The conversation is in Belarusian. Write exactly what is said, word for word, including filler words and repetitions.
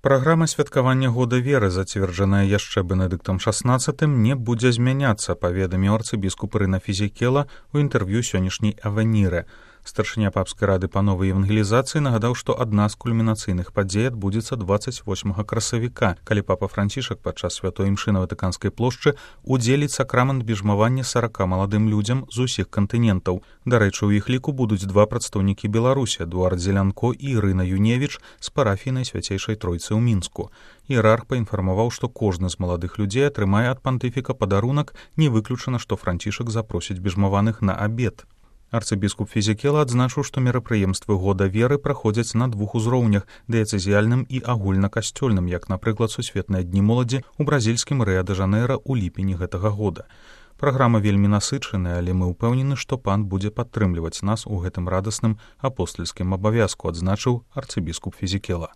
Праграма святкавання года веры, зацверджаная яшчэ Бенедыктам шаснаццатым, не будзе змяняцца, паведаміў арцыбіскуп Рына Фізікела ў інтэрв'ю сённяшняй «Авеніры». Старшыня папскай рады па новай евангелізацыі нагадаў, што адна з кульмінацыйных падзей адбудзецца дваццаць восьмага красавіка, калі папа Францішак падчас святой імшы на Ватыканскай плошчы удзеліць сакрамент біжмавання сарака маладым людзям з усіх кантынентаў. Дарэчы, у іх ліку будуць два прадстаўнікі Беларусі, Эдуард Зелянко і Ірына Юневіч з парафіі Найсвяцейшай Тройцы ў Мінску. Іерарх паінфармаваў, што кожны з маладых людзей атрымае ад пантыфіка падарунак, не выключана, што Францішак запросіць біжмаваных на абед. Арцыбіскуп Фізікела адзначыў, што мерапрыемствы года веры праходзяць на двух узроўнях – дыяцэзіяльным і агульнакасцёльным, як, напрыклад, сусветныя дні моладзі ў бразільскім Рыа-дэ-Жанэйра ў ліпені гэтага года. Праграма вельмі насычаная, але мы ўпэўнены, што пан будзе падтрымліваць нас у гэтым радасным апостальскім абавязку, адзначыў арцыбіскуп Фізікела.